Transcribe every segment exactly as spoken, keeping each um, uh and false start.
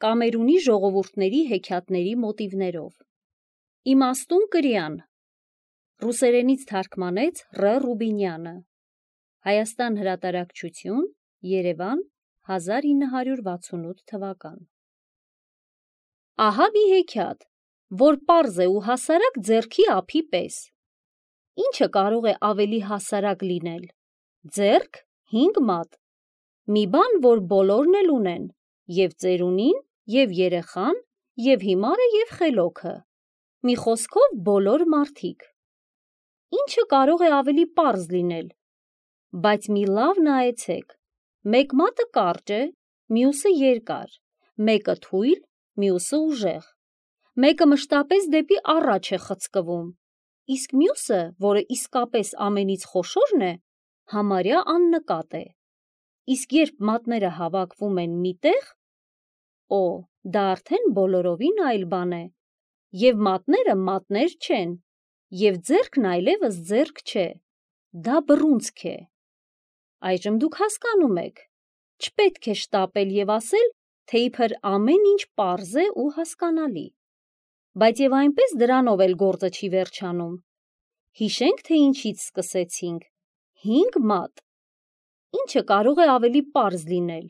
Կամերունի ժողովուրդների հեքիաթների մոտիվներով։ Իմաստուն կրյան։ Ռուսերենից թարգմանեց Ռ. Ռուբինյանը։ Հայաստան հրատարակչություն, Երևան, հազար ինը հարյուր վաթսունութ թվական։ Ահա մի հեքիաթ, որ պարզ է ու հասարակ ձեռքի ափի պես։ Ինչը կարող է ավելի հասարակ լինել։ Ձեռք հինգ մատ։ Մի բան, որ բոլորն էլ ունեն, և ծերունին, և երեխան, և հիմարը, և խելոքը։ Մի խոսքով բոլոր մարդիկ։ Ինչը կարող է ավելի պարզ լինել։ Բայց մի լավ նայեցեք, մեկ մատը կարճ է, մյուսը երկար, մեկը թույլ, մյուսը ուժեղ, մեկը մշտապես դեպի առաջ է խցկվում, իսկ մյուսը, որը իսկապես ամենից խոշորն է, համարյա աննկատ է։ Իսկ երբ մատները հավաքվում են մի տեղ, օ, դա արդեն բոլորովին այլ բան է, և մատները մատներ չեն, և ձեռքն այլևս ձեռք չէ, դա բռունցք է։ Այժմ դուք հասկանում եք, չպետք է շտապել և ասել, թե իբր ամեն ինչ պարզ է ու հասկանալի։ Բայց և այնպես դրանով էլ գործը չի վերջանում։ Հիշենք, թե ինչից սկսեցինք։ Հինգ մատ։ Ինչը կարող է ավելի պարզ լինել։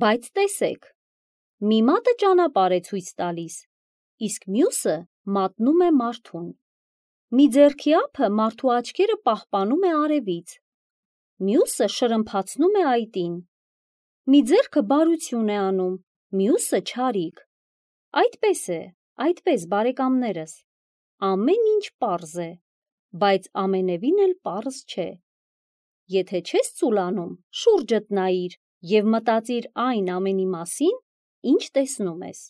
Բայց տեսեք, մի մատը ճանապարհ է ցույց տալիս, իսկ մյուսը մատնում է մարդուն։ Մի ձեռքի ափը մարդու աչքերը պահպանում է արևից, մյուսը շրմփացնում է այտին։ Մի ձեռքը բարություն է անում, մյուսը չարիք։ Այդպես է, այդպես, բարեկամներս, ամեն ինչ պարզ է, բայց ամենևին էլ պարզ չէ։ Եթե չես ծուլանում, շուրջդ նայիր և մտածիր այն ամենի մասին, ինչ տեսնում ես։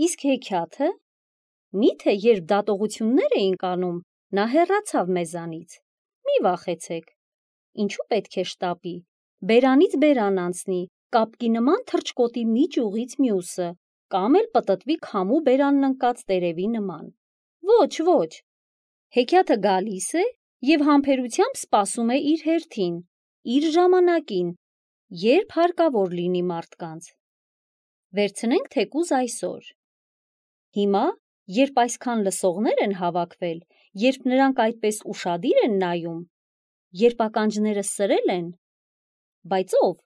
Իսկ հեքիաթը, միթե երբ դատողություններ էինք անում, նա հեռացավ մեզանից։ Մի վախեցեք, ինչու պետք է շտապի, բերանից բերան անցնի, կապկի նման թռչկոտի մի ճյուղից մյուսը, կամ էլ պտտվի քամու բերանն ընկած տերևի նման։ Ոչ, ոչ, հեքիաթը գալիս է և համբերությամբ սպասում է իր հերթին, իր ժամանակին, երբ հարկավոր լինի մարդկանց։ Վերցնենք թեկուզ այսօր։ Հիմա, երբ այսքան լսողներ են հավաքվել, երբ նրանք այդպես ուշադիր են նայում, երբ ականջները սրել են, բայց ով,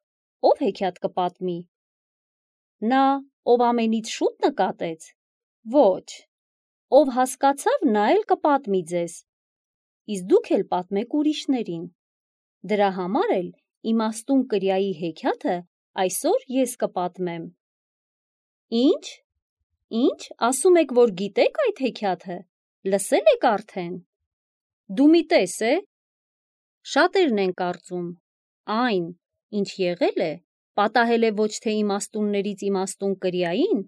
ով հեքիաթ կպատմի։ Նա, ով ամենից շուտ նկատեց։ Ոչ, ով հասկացավ, նա էլ կպատմի ձեզ, իսկ դուք էլ պատմեք ուրիշներին։ Դրա համար էլ իմաստուն կրյայի հեքիաթը այսօր ես կպատմեմ։ Ինչ, ինչ, ասում եք, որ գիտեք այդ հեքիաթը, լսել եք արդեն։ Դու մի տես է։ Շատերն են կարծում, այն, ինչ եղել է, պատահել է ոչ թե իմաստուններից իմաստուն կրյային,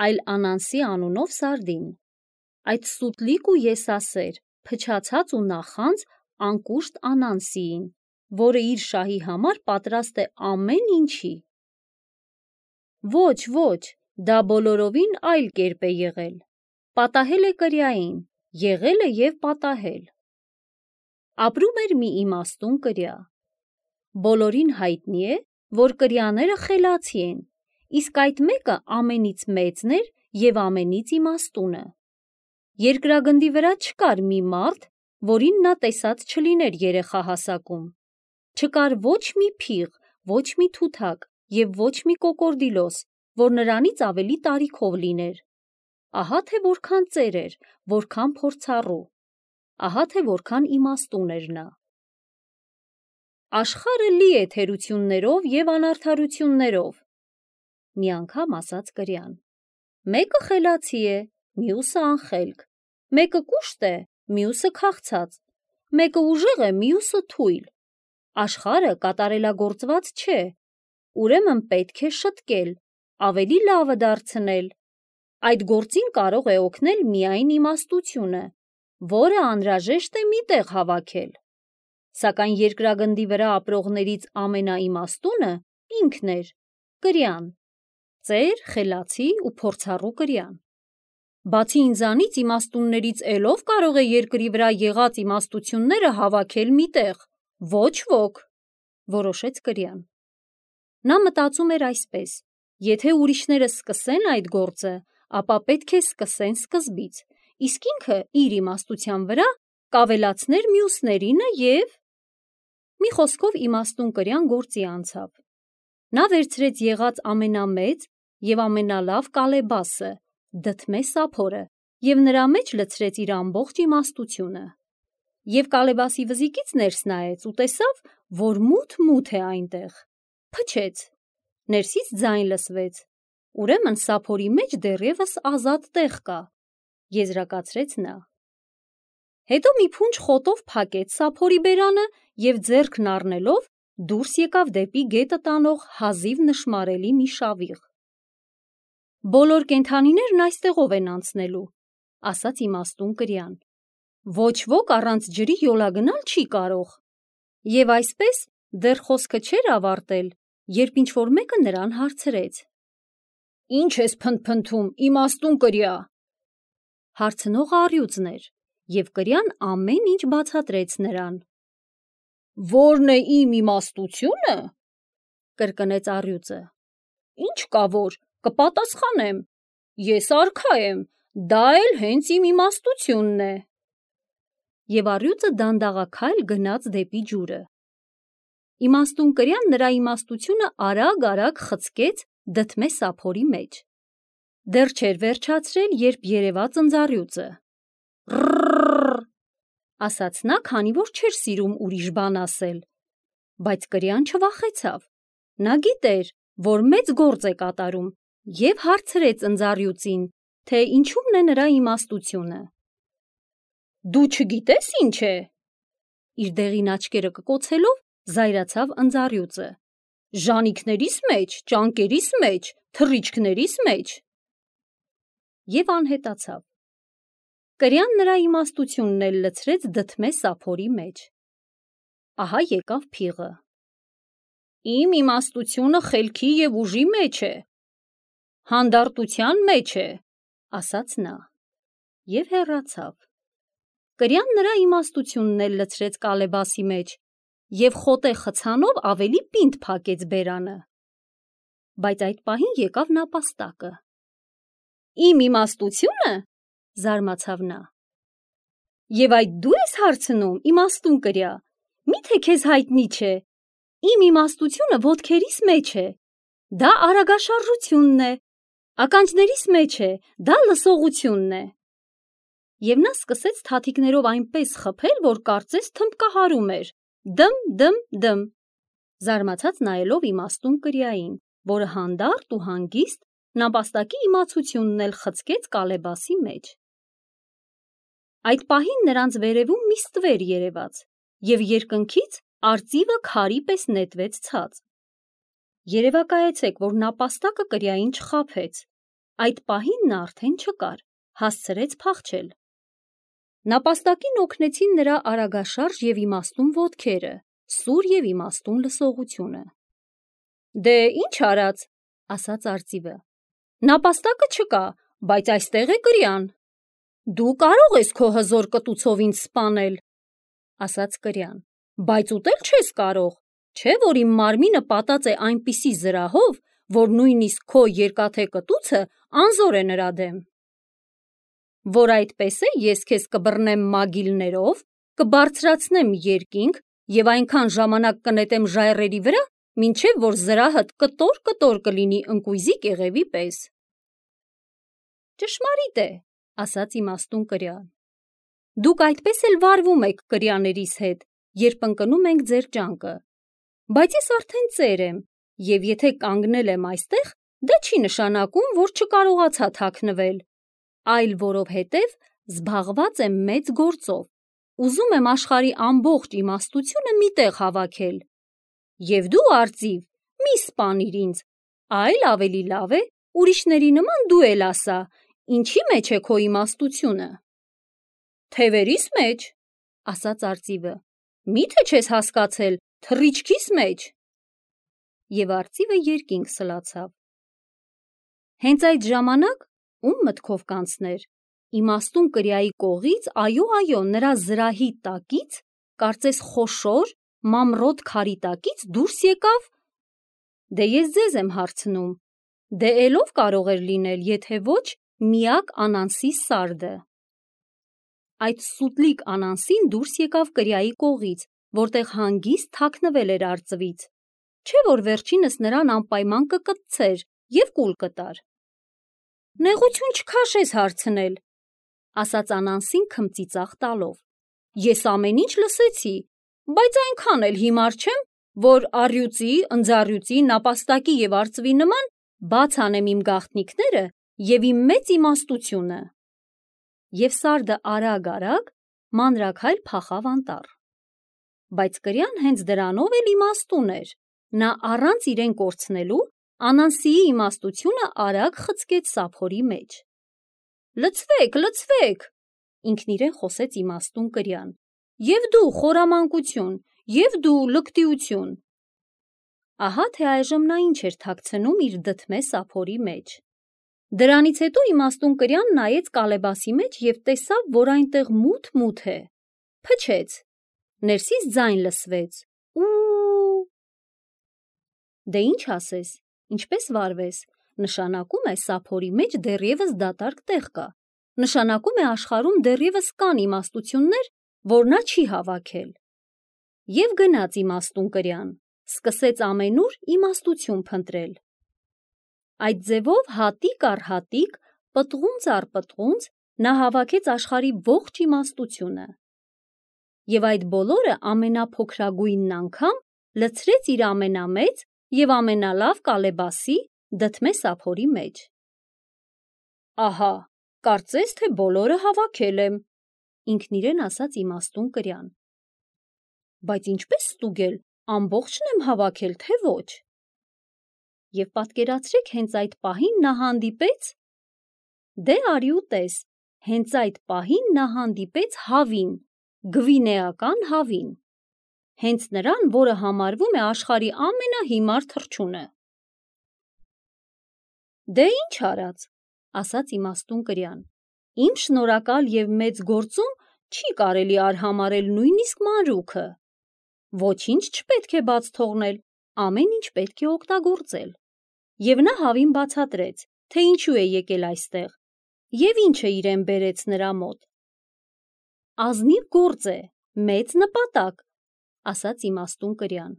այլ Անանսի անունով սարդին։ Այդ սուտլիկ ու եսասեր, փչացած ու նախանձ անկուշտ Անանսիին, որը իր շահի համար պատրաստ է ամեն ինչի։ Ոչ, ոչ, դա բոլորովին այլ կերպ է եղել։ Պատահել է կրյային, եղել է և պատահել։ Ապրում էր մի իմաստուն կրյա։ Բոլորին հայտնի է, որ կրյաները խելացի են, իսկ այդ մեկը ամենից մեծն էր և ամենից իմաստունը։ Երկրագնդի վրա չկար մի մարդ, որին նա տեսած չլիներ երեխա հասակում։ Չկար ոչ մի փիղ, ոչ մի թութակ և ոչ մի կոկորդիլոս, որ նրանից ավելի տարիքով լիներ։ Ահա թե որքան ծեր էր, որքան փորձառու, ահա թե որքան իմաստուն էր նա։ Աշխարհը լի է թերություններով և անարդարություններով, մի անգամ ասաց կրյան։ Մեկը խելացի է, մյուսը անխելք, մեկը կուշտ է, մյուսը քաղցած, մեկը ուժեղ է, մյուսը թույլ։ Աշխարհը կատարելագործված չէ, ուրեմն պետք է շտկել, ավելի լավը դարձնել։ Այդ գործին կարող է օգնել միայն իմաստությունը, որը անհրաժեշտ է մի տեղ հավաքել։ Սակայն երկրագնդի վրա ապրողներից ամենաիմաստունը ինքն էր, կրյան, ծեր, խելացի ու փորձառու կրյան։ Բացի ինձանից իմաստուններից էլ ով կարող է երկրի վրա եղած իմաստությունները հավաքել մի տեղ։ Ոչ ոք, որոշեց կրյան։ Նա մտածում էր այսպես. Եթե ուրիշները սկսեն այդ գործը, ապա պետք է սկսեն սկզբից, իսկ ինքը իր իմաստության վրա կավելացներ մյուսներինը և… Մի խոսքով իմաստուն կրյան գործի անցավ։ Նա վերցրեց եղած ամենամեծ և ամենալավ կալեբասը, դդմե սափորը և նրա մեջ լցրեց իր ամբողջ իմաստությունը։ Եվ կալեբասի վզիկից ներս նայեց ու տեսավ, որ մութ-մութ է այնտեղ։ Փչեց, ներսից ձայն լսվեց, ուրեմն սափորի մեջ դեռևս ազատ տեղ կա, եզրակացրեց նա։ Հետո մի փունջ խոտով փակեց սափորի բերանը և ձեռքն առնելով դուրս եկավ դեպի գետը տանող հազիվ նշմարելի մի շավիղ։ Բոլոր կենդանիներն այստեղով են անցնելու, ասաց իմաստուն կրյան։ Ոչ ոք առանց ջրի յոլա գնալ չի կարող։ Եվ այսպես դեռ խոսքը չէր ավարտել, երբ ինչ-որ մեկը նրան հարցրեց. Ինչ ես փնթփնթում, իմաստուն կրյա։ Հարցնողը առյուծն էր, և կրյան ամեն ինչ բացատրեց նրան։ Ո՞րն է իմ իմաստությունը, կրկնեց առյուծը։ Ինչ կա որ, կպատասխանեմ, ես արքա եմ, դա էլ հենց իմ իմաստությունն է։ Եվ առյուծը դանդաղաքայլ գնաց դեպի ջուրը։ Իմաստուն կրյան նրա իմաստությունը արագ-արագ խցկեց դդմե սափորի մեջ։ Դեռ չէր վերջացրել, երբ երևաց ընձառյուծը։ Ռռռռ, ասաց նա, քանի որ չէր սիրում ուրիշ բան ասել, բայց կրյան չվախեցավ։ Նա գիտեր, որ մեծ գործ է կատարում, և հարցրեց ընձառյուծին, թե ինչումն է նրա իմաստությունը։ Դու չգիտես ինչ է։ Իր դեղին աչքերը կկոցելով զայրացավ ընձառյուծը։ Ժանիքներիս մեջ, ճանկերիս մեջ, թռիչքներիս մեջ։ Եվ անհետացավ։ Կրյան նրա իմաստությունն էլ լցրեց դդմե սափորի մեջ։ Ահա եկավ փիղը։ Իմ իմաստությունը խելքի և ուժի մեջ է, հանդարտության մեջ է, ասաց նա, և հեռացավ։ Կրյան նրա իմաստությունն էլ լցրեց կալեբասի մեջ և խոտե խցանով ավելի պինդ փակեց բերանը։ Բայց այդ պահին եկավ նապաստակը։ Իմ իմաստությո՞ւնը, զարմացավ նա։ Եվ այդ դու ես հարցնում, իմաստուն կրյա, մի՞թե քեզ հայտնի չէ, իմ իմաստությունը ոտքերիս մեջ է, դա արագաշարժությունն է, ականջներիս մեջ է, դա լսողությունն է։ Եվ նա սկսեց թաթիկներով այնպես խփել, որ կարծես թմբկահարում էր. դմ, դմ, դմ, զարմացած նայելով իմաստուն կրյային, որը հանդարտ ու հանգիստ նապաստակի իմացությունն էլ խցկեց կալեբասի մեջ։ Այդ պահին նրանց վերևում մի ստվեր երևաց, և երկնքից արծիվը քարի պես նետվեց ցած։ Երևակայեցեք, որ նապաստակը կրյային չխաբեց, այդ պահին նա արդեն չկար, հասցրեց փախչել։ Նապաստակին օգնեցին նրա արագաշարժ և իմաստուն ոտքերը, սուր և իմաստուն լսողությունը։ Դե ինչ արած, ասաց արծիվը, նապաստակը չկա, բայց այստեղ է կրյան։ Դու կարող ես քո հզոր կտուցով ինձ սպանել, ասաց կրյան, բայց ուտել չես կարող, չէ՞ որ իմ մարմինը պատած է այնպիսի զրահով, որ նույնիսկ քո երկաթե կտուցը անզոր է նրա դեմ։ Որ այդպես է, ես քեզ կբռնեմ մագիլներով, կբարձրացնեմ երկինք և այնքան ժամանակ կնետեմ ժայռերի վրա, մինչև որ զրահդ կտոր-կտոր կլինի ընկույզի կեղևի պես։ Ճշմարիտ է, ասաց իմաստուն կրյան։ Դուք այդպես էլ վարվում եք կրյաներիս հետ, երբ ընկնում ենք ձեր ջանքը, բայց ես արդեն ծեր եմ, և եթե կանգնել եմ այստեղ, դա չի նշանակում, որ չկարողացա թաքնվել, այլ որովհետև զբաղված եմ մեծ գործով, ուզում եմ աշխարհի ամբողջ իմաստությունը մի տեղ հավաքել։ Եվ դու, արծիվ, մի սպանիր ինձ, այլ ավելի լավ է, ուրիշների նման դու էլ ասա, ինչի մեջ է քո իմաստությունը։ Թևերիս մեջ, ասաց արծիվը, մի՞թե չես հասկացել, թռիչքիս մեջ։ Եվ արծիվը երկինք սլացավ։ Հենց այդ ժամանակ, ում մտքով կանցներ, իմաստուն կրյայի կողից, այո, այո, նրա զրահի տակից, կարծես խոշոր, մամռոտ քարի տակից դուրս եկավ… Դե ես ձեզ եմ հարցնում, Դե էլով կարող էր լինել, եթե ոչ միակ Անանսի սարդը։ Այդ սուտլիկ Անանսին դուրս եկավ կրիայի կողից, որտեղ հանգիստ թաքնվել էր արծվից, չէ որ վերջինս նրան անպայման կկտցեր և կուլ կտար։ Նեղություն չքաշես հարցնել, ասաց Անանսին քմծիծաղ տալով, ես ամեն ինչ լսեցի, բայց այնքան էլ հիմար չեմ, որ առյուծի, ընձառյուծի, նապաստակի և արծվի նման բաց անեմ իմ գաղտնիքները և իմ մեծ իմաստությունը։ Եվ սարդը արագ-արագ մանրաքայլ փախավ անտառ։ Բայց կրյան հենց դրանով էլ իմաստուն էր, նա առանց իրեն կորցնելու Անանսիի իմաստությունը արագ խցկեց սափորի մեջ։ Լցվեք, լցվեք, ինքն իրեն խոսեց իմաստուն կրյան, և դու խորամանկություն, և դու լկտիություն։ Ահա թե այժմ նա ինչ էր թաքցնում իր դդմե սափորի մեջ։ Դրանից հետո իմաստուն կրյան նայեց կալեբասի մեջ և տեսավ, որ այնտեղ մութ-մութ է, փչեց, ներսից ձայն լսվեց. ու… Դե ինչ ասես, ինչպես վարվես, նշանակում է սափորի մեջ դեռևս դատարկ տեղ կա, նշանակում է աշխարհում դեռևս կան իմաստություններ, որ նա չի հավաքել։ Եվ գնաց իմաստուն կրյան, սկսեց ամենուր իմաստություն փնտրել։ Այդ ձևով հատիկ առ հատիկ, պտղունց առ պտղունց նա հավաքեց աշխարհի ողջ իմաստությունը։ Եվ այդ բոլորը ամենափոքրագույնն անգամ լցրեց իր ամենամեծ և ամենալավ կալեբասի դդմե սափորի մեջ։ Ահա, կարծես թե բոլորը հավաքել եմ, ինքն իրեն ասաց իմաստուն կրյան։ Բայց ինչպես ստուգել, ամբողջն եմ հավաքել, թե ոչ։ Եվ պատկերացրեք, հենց այդ պահին նա հանդիպեց… Դե արի ու տես, հենց այդ պահին նա հանդիպեց հավին, գվինեական հավին, հենց նրան, որը համարվում է աշխարհի ամենահիմար թռչունը։ Դե ինչ արած, ասաց իմաստուն կրյան, իմ շնորհակալ և մեծ գործում չի կարելի արհամարհել նույնիսկ մանրուքը։ Ոչինչ չպետք է բաց թողնել, ամեն ինչ պետք է օգտագործել։ Եվ նա հավին բացատրեց, թե ինչու է եկել այստեղ և ինչը իրեն բերեց նրա մոտ։ Ազնիվ գործ է, մեծ նպատակ, ասաց իմաստուն կրյան։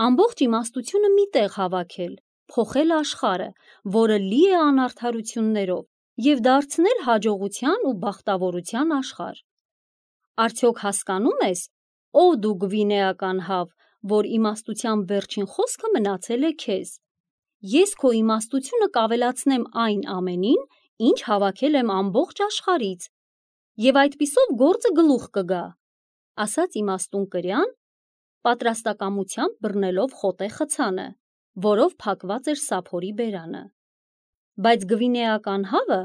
Ամբողջ իմաստությունը մի տեղ հավաքել, փոխել աշխարհը, որը լի է անարդարություններով, և դարձնել հաջողության ու բախտավորության աշխարհ։ Արդյոք հասկանում ես, ով դու գվինեական հավ, որ իմաստության վերջին խոսքը մնացել է քեզ։ Ես քո իմաստությունը կավելացնեմ այն ամենին, ինչ հավաքել եմ ամբողջ աշխարհից, և այդպիսով գործը գլուխ կգա, ասաց իմաստուն կրյան, պատրաստակամությամբ բռնելով խոտե խցանը, որով փակված էր սափորի բերանը։ Բայց գվինեական հավը,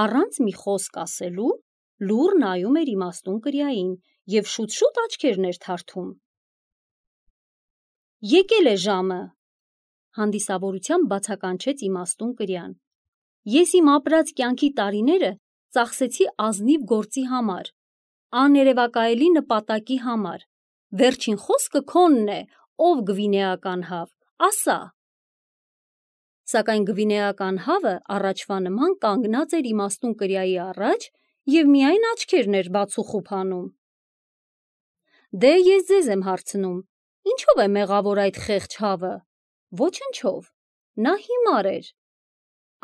առանց մի խոսք ասելու, լուռ նայում էր իմաստուն կրյային և շուտ-շուտ աչքերն էր թարթում։ Եկել է ժամը, հանդիսավորությամբ բացականչեց իմաստուն կրյան։ Ես իմ ապրած կյանքի տարիները ծախսեցի ազնիվ գործի համար, աներևակայելի նպատակի համար։ Վերջին խոսքը քոնն է, ով գվինեական հավ, ասա։ Սակայն գվինեական հավը առաջվա նման կանգնած էր իմաստուն կրյայի առաջ և միայն աչքերն էր բացուխուփ անում։ Դե ես ձեզ եմ հարցնում, ինչո՞վ է մեղավոր այդ խեղճ հավը։ Ոչնչով, նա հիմար էր,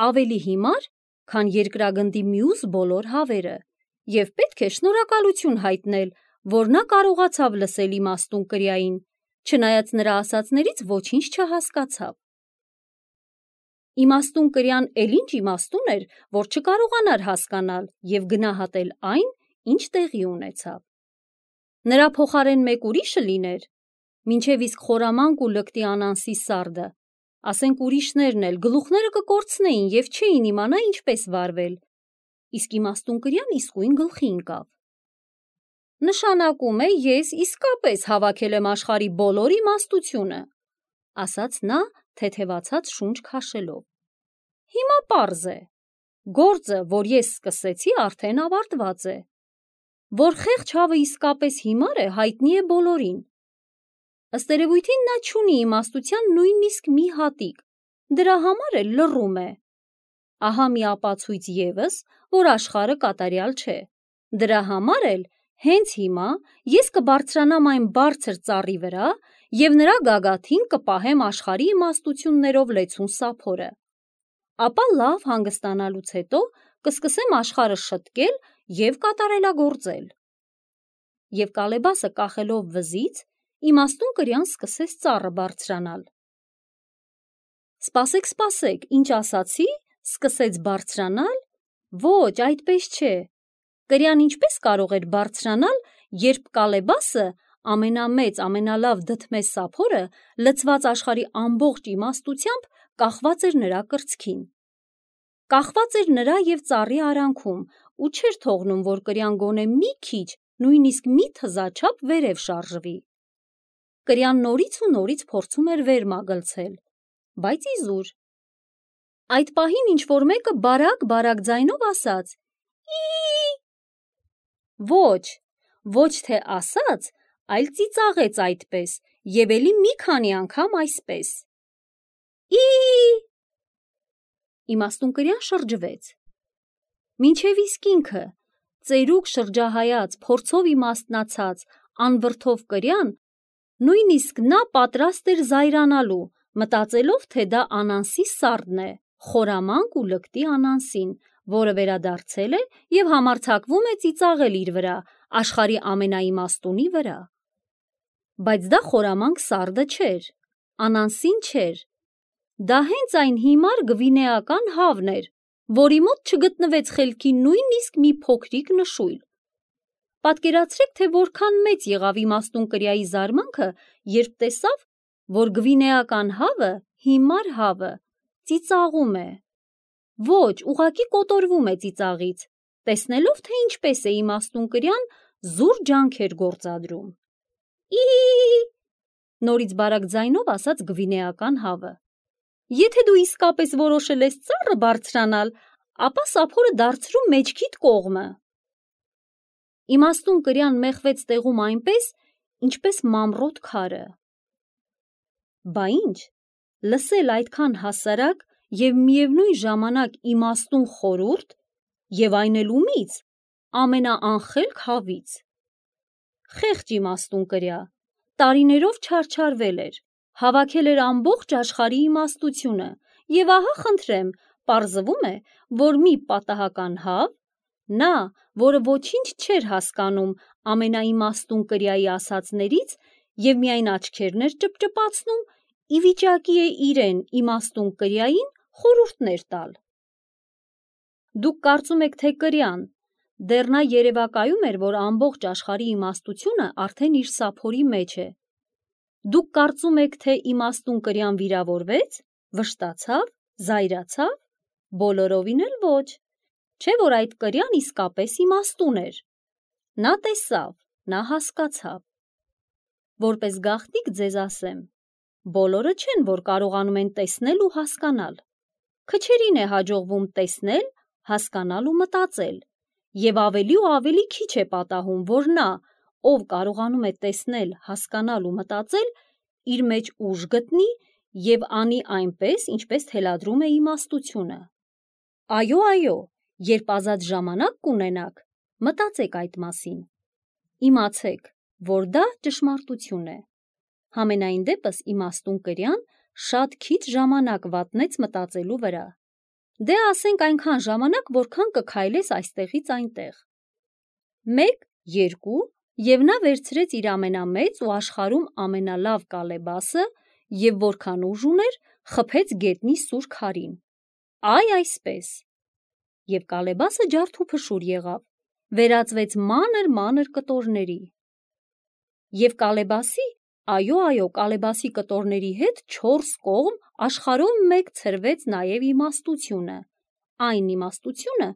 ավելի հիմար, քան երկրագնդի մյուս բոլոր հավերը, և պետք է շնորհակալություն հայտնել, որ նա կարողացավ լսել իմաստուն կրյային, չնայած նրա ասածներից ոչինչ չհասկացավ։ Իմաստուն կրյան էլ ինչ իմաստուն էր, որ չկարողանար հասկանալ և գնահատել այն, ինչ տեղի ունեցավ։ Նրա փոխարեն մեկ ուրիշը լիներ, մինչև իսկ խորամանկ ու լկտի Անանսի սարդը, ասենք ուրիշներն էլ գլուխները կկորցնեին և չէին իմանա ինչպես վարվել, իսկ իմաստուն կրյան իսկույն գլխի ընկավ։ Նշանակում է, ես իսկապես հավաքել եմ աշխարհի բոլոր իմաստությունը, ասաց նա թեթևացած շունչ քաշելով։ Հիմա պարզ է, գործը, որ ես սկսեցի, արդեն ավարտված է։ Որ խեղճ հավը իսկապես հիմար է, հայտնի է բոլորին։ Ըստ երևույթին նա չունի իմաստության նույնիսկ մի հատիկ, դրա համար էլ լռում է։ Ահա մի ապացույց ևս, որ աշխարհը կատարյալ չէ։ Դրա համար էլ հենց հիմա ես կբարձրանամ այն բարձր ծառի վրա և նրա գագաթին կպահեմ աշխարհի իմաստություններով լեցուն սափորը։ Ապա լավ հանգստանալուց հետո կսկսեմ աշխարհը շտկել և կատարելագործել։ Եվ Կալեբասը կախելով վզից, իմաստուն կրյան սկսեց ծառը բարձրանալ։ Սպասեք, սպասեք, ինչ ասացի, սկսեց բարձրանալ, ոչ, այդպես չէ։ Կրյան ինչպես կարող էր բարձրանալ, երբ Կալեբասը ամենամեծ, ամենալավ դդմե սափորը լցված աշխարհի ամբողջ իմաստությամբ կախված էր նրա կրծքին։ Կախված էր նրա և ծառի արանքում ու չէր թողնում, որ կրյան գոնե մի քիչ, նույնիսկ մի թզաչափ վերև շարժվի։ Կրյան նորից ու նորից փորձում էր վեր մագլցել, բայց իզուր։ Այդ պահին ինչ-որ մեկը բարակ-բարակ ձայնով ասաց. «Ի՜»։ Ոչ, ոչ թե ասաց, այլ ծիծաղեց այդպես և էլի մի քանի անգամ այսպես. «Ի՜»։ Իմաստուն կրյան շրջվեց։ Մինչև իսկ ինքը, ծերուկ շրջահայաց, փորձով իմաստնացած, անվրդով կրյան, նույնիսկ նա պատրաստ էր զայրանալու, մտածելով, թե դա Անանսի սառն է, խորամանկ ու լկտի Անանսին, որը վերադարձել է և համարձակվում է ծիծաղել իր վրա, աշխարհի ամենաիմաստունի վրա։ Բայց դա խորամանկ սարդը չէր, Անանսին չէր, դա հենց այն հիմար գվինեական հավն էր, որի մոտ չգտնվեց խելքի նույնիսկ մի փոքրիկ նշույլ։ Պատկերացրեք, թե որքան մեծ եղավ իմաստուն կրյայի զարմանքը, երբ տեսավ, որ գվինեական հավը, հիմար հավը, ծիծաղում է։ Ոչ, ուղղակի կոտորվում է ծիծաղից, տեսնելով, թե ինչպես է իմաստուն կրյան զուր ջանքեր գործադրում։ «Ի՜», նորից բարակ ձայնով ասաց գվինեական հավը։ Եթե դու իսկապես որոշել ես ծառը բարձրանալ, ապա սափորը դարձրու մեջքիդ կողմը։ Իմաստուն կրյան մեխվեց տեղում այնպես, ինչպես մամռոտ քարը։ Բա ինչ, լսել այդքան հասարակ և միևնույն ժամանակ իմաստուն խորհուրդ և այն էլ ումից, ամենաանխելք հավից։ Խեղճ իմաստուն կրյա, տարիներով չարչարվել էր, հավաքել էր ամբողջ աշխարհի իմաստությունը և ահա խնդրեմ, պարզվում է, որ մի պատահական հավ, նա, որը ոչինչ չէր հասկանում ամենաիմաստուն կրյայի ասածներից և միայն աչքերն էր ճպճպացնում, ի վիճակի է իրեն իմաստուն կրյային խորհուրդներ տալ։ Դուք կարծում եք, թե կրյան, դեռ նա երևակայում էր, որ ամբողջ աշխարհի իմաստությունը արդեն իր սափորի մեջ է։ Դուք կարծում եք, թե իմաստուն կրյան վիրավորվեց, վշտացավ, զայրացավ, բոլորովին էլ ոչ, չէ՞ որ այդ կրյան իսկապես իմաստուն էր։ Նա տեսավ, նա հասկացավ։ Որպես գաղտնիք ձեզ ասեմ, բոլորը չեն, որ կարողանում են տեսնել ու հասկանալ։ Քչերին է հաջողվում տեսնել, հասկանալ ու մտածել, և ավելի ու ավելի քիչ է պատահում, որ նա, ով կարողանում է տեսնել, հասկանալ ու մտածել, իր մեջ ուժ գտնի և անի այնպես, ինչպես թելադրում է իմաստությունը։ Այո, այո, երբ ազատ ժամանակ կունենաք, մտածեք այդ մասին։ Իմացեք, որ դա ճշմարտություն է։ Համենայն դեպս իմաստուն կրյան շատ քիչ ժամանակ վատնեց մտածելու վրա։ Դե ասենք այնքան ժամանակ, որքան կքայլես այստեղից այնտեղ։ Մեկ, երկու, և նա վերցրեց իր ամենամեծ ու աշխարհում ամենալավ կալեբասը և որքան ուժ ուներ, խփեց գետնի սուր քարին։ Այ այսպես։ Եվ կալեբասը ջարդուփշուր եղավ, վերածվեց մանր-մանր կտորների։ Եվ կալեբասի, այո, այո, կալեբասի կտորների հետ չորս կողմ աշխարհով մեկ ցրվեց նաև իմաստությունը, այն իմաստությունը,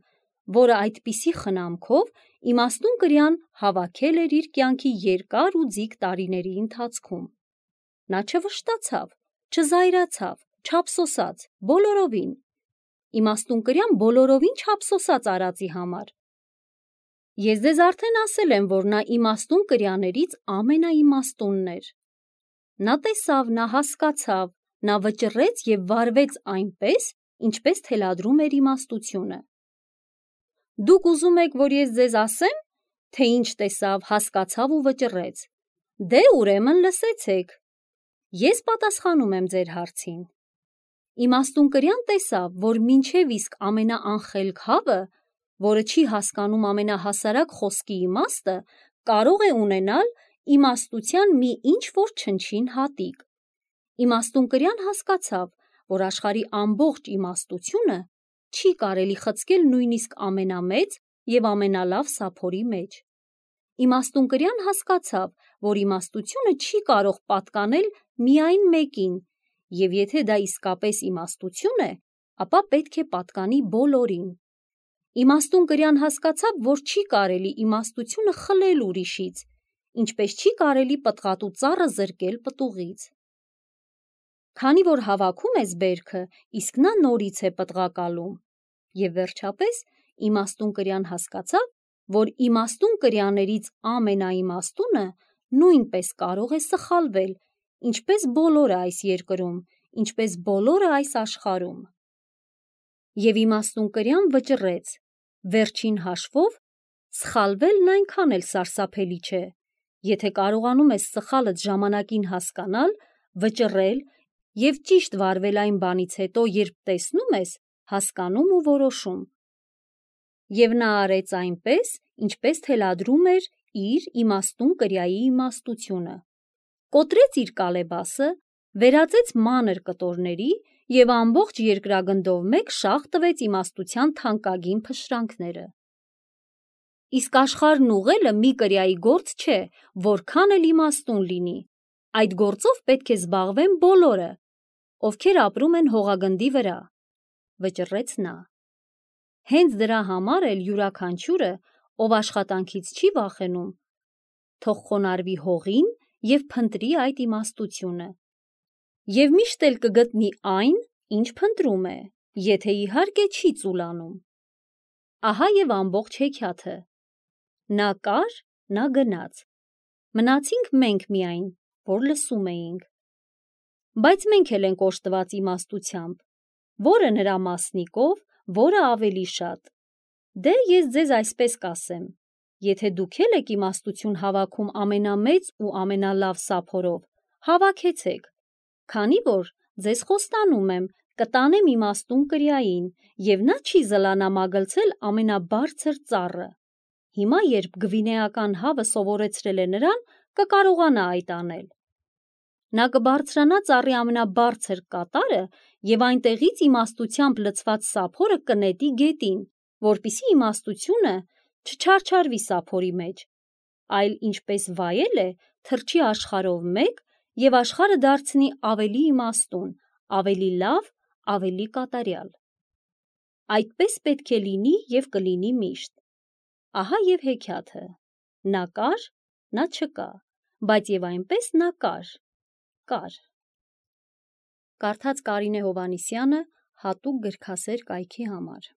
որը այդպիսի խնամքով իմաստուն կրյան հավաքել էր իր կյանքի երկար ու ձիգ տարիների ընթացքում։ Նա չվշտացավ, չզայրացավ, չափսոսաց, բոլորովին։ Իմաստուն կրյան բոլորովին չափսոսաց արածի համար։ Ես ձեզ արդեն ասել եմ, որ նա իմաստուն կրյաներից ամենաիմաստունն էր։ Նա տեսավ, նա հասկացավ, նա վճռեց և վարվեց այնպես, ինչպես թելադրում էր իմաստությունը։ Դուք ուզում եք, որ ես ձեզ ասեմ, թե ինչ տեսավ, հասկացավ ու վճռեց։ Դե ուրեմն լսեցեք։ Ես պատասխանում եմ ձեր հարցին։ Իմաստունկրյան տեսավ, որ մինչև իսկ ամենաանխելք հավը, որը չի հասկանում ամենահասարակ խոսքի իմաստը, կարող է ունենալ իմաստության մի ինչ-որ չնչին հատիկ։ Իմաստունկրյան հասկացավ, որ աշխարհի ամբողջ իմաստությունը չի կարելի խցկել նույնիսկ ամենամեծ և ամենալավ սափորի մեջ։ Իմաստունկրյան հասկացավ, որ իմաստությունը չի կարող պատկանել միայն մեկին, և եթե դա իսկապես իմաստություն է, ապա պետք է պատկանի բոլորին։ Իմաստունկրյան հասկացավ, որ չի կարելի իմաստությունը խլել ուրիշից, ինչպես չի կարելի պտղատու ծառը զրկել պտուղից։ Քանի որ հավաքում ես բերքը, իսկ նա նորից է պտղակալում։ Եվ վերջապես իմաստունկրյան հասկացավ, որ իմաստունկրյաներից ամենաիմաստունը նույնպես կարող է սխալվել, ինչպես բոլորը այս երկրում, ինչպես բոլորը այս աշխարհում։ Եվ իմաստունկրյան վճռեց, վերջին հաշվով, սխալվելն այնքան էլ սարսափելի չէ, եթե կարողանում ես սխալդ ժամանակին հասկանալ, վճռել և ճիշտ վարվել այն բանից հետո, երբ տեսնում ես, հասկանում ու որոշում։ Եվ նա արեց այնպես, ինչպես թելադրում էր իր իմաստունկրյայի իմաստությունը։ Կոտրեց իր կալեբասը, վերածեց մանր կտորների և ամբողջ երկրագնդով մեկ շաղ տվեց իմաստության թանկագին փշրանքները։ Իսկ աշխարհն ուղղելը մի կրյայի գործ չէ, որքան էլ իմաստուն լինի, այդ գործով պետք է զբաղվեն բոլորը, ովքեր ապրում են հողագնդի վրա, վճռեց նա։ Հենց դրա համար էլ յուրաքանչյուրը, ով աշխատանքից չի վախենում, թող խոնարհվի հողին և փնտրի այդ իմաստությունը։ Եվ միշտ էլ կգտնի այն, ինչ փնտրում է, եթե իհարկե չի ծուլանում։ Ահա և ամբողջ հեքիաթը։ Նա կար, նա գնաց։ Մնացինք մենք միայն, որ լսում էինք։ Բայց մենք էլ ենք օժտված իմաստությամբ, որը նրա մասնիկով, որը ավելի շատ։ Դե ես ձեզ այսպես կասեմ. եթե դուք էլ եք իմաստություն հավաքում ամենամեծ ու ամենալավ սափորով, հավաքեցեք, քանի որ ձեզ խոստանում եմ, կտանեմ իմաստունկրյային, և նա չի զլանա մագլցել ամենաբարձր ծառը։ Հիմա, երբ գվինեական հավը սովորեցրել է նրան, կկարողանա այդ անել։ Նա կբարձրանա ծառի ամենաբարձր կատարը և այնտեղից իմաստությամբ լցված սափորը կնետի գետին, որպեսզի իմաստությունը չչարչարվի սափորի մեջ, այլ ինչպես վայել է, թռչի աշխարհով մեկ և աշխարհը դարձնի ավելի իմաստուն, ավելի լավ, ավելի կատարյալ։ Այդպես պետք է լինի և կլինի միշտ։ Ահա և հեքիաթը։ Նա կար, նա չկա, բայց և այնպես նա կար, կար։ Կարդաց Կարինե Հովհաննիսյանը հատուկ գրքասեր կայքի համար։